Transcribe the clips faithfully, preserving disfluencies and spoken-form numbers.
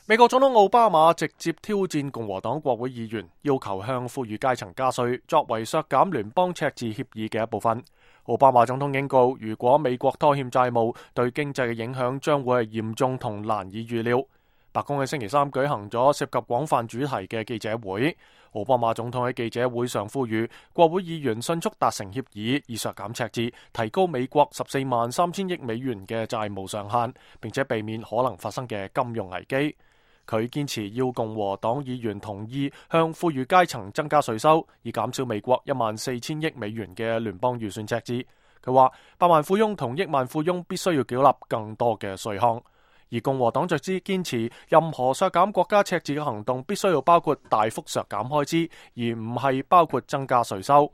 美國總統奧巴馬直接挑戰共和黨國會議員，要求向富裕階層加稅，作為削減聯邦赤字協議嘅一部分。奧巴馬總統警告，如果美國拖欠債務，對經濟嘅影響將會係嚴重同難以預料。白宮喺星期三舉行咗涉及廣泛主題嘅記者會，奧巴馬總統喺記者會上呼籲國會議員迅速達成協議，以削減赤字，提高美國十四萬三千億美元嘅債務上限，並且避免可能發生嘅金融危機。佢堅持要共和黨議員同意向富裕階層增加稅收，以減少美國一萬四千億美元嘅聯邦預算赤字。佢話百萬富翁同億萬富翁必須要繳納更多嘅稅項，而共和黨則之堅持任何削減國家赤字嘅行動必須要包括大幅削減開支，而唔係包括增加稅收。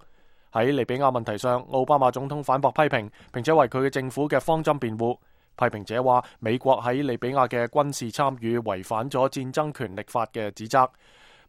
喺利比亞問題上，奧巴馬總統反駁批評，並且為佢嘅政府嘅方針辯護。批評者話美國喺利比亞嘅軍事參與違反咗戰爭權力法嘅指責。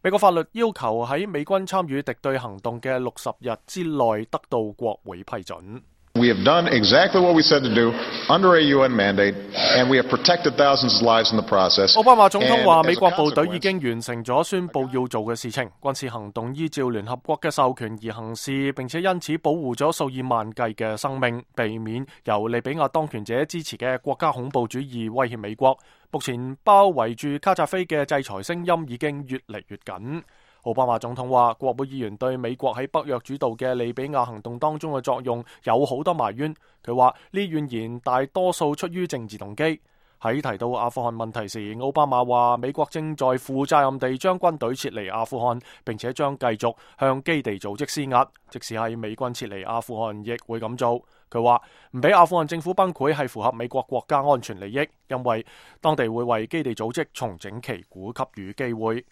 美國法律要求喺美軍參與敵對行動嘅六十日之內得到國會批准。We have done exactly what we said to do under a U N mandate, and we have protected thousands of lives in the process. 奧巴馬總統話美國部隊已經完成咗宣佈要做嘅事情，軍事行動依照聯合國嘅授權而行事，並且因此保護咗數以萬計嘅生命，避免由利比亞當權者支持嘅國家恐怖主義威脅美國。目前包圍住卡扎菲嘅制裁聲音已經越嚟越緊。奧巴馬總統話，國會議員對美國喺北約主導嘅利比亞行動當中嘅作用有好多埋怨。佢話呢怨言大多數出於政治動機。喺提到阿富汗問題時，奧巴馬話美國正在負責任地將軍隊撤離阿富汗，並且將繼續向基地組織施壓，即使係美軍撤離阿富汗亦會咁做。佢話唔俾阿富汗政府崩潰係符合美國國家安全利益，因為當地會為基地組織重整旗鼓給予機會。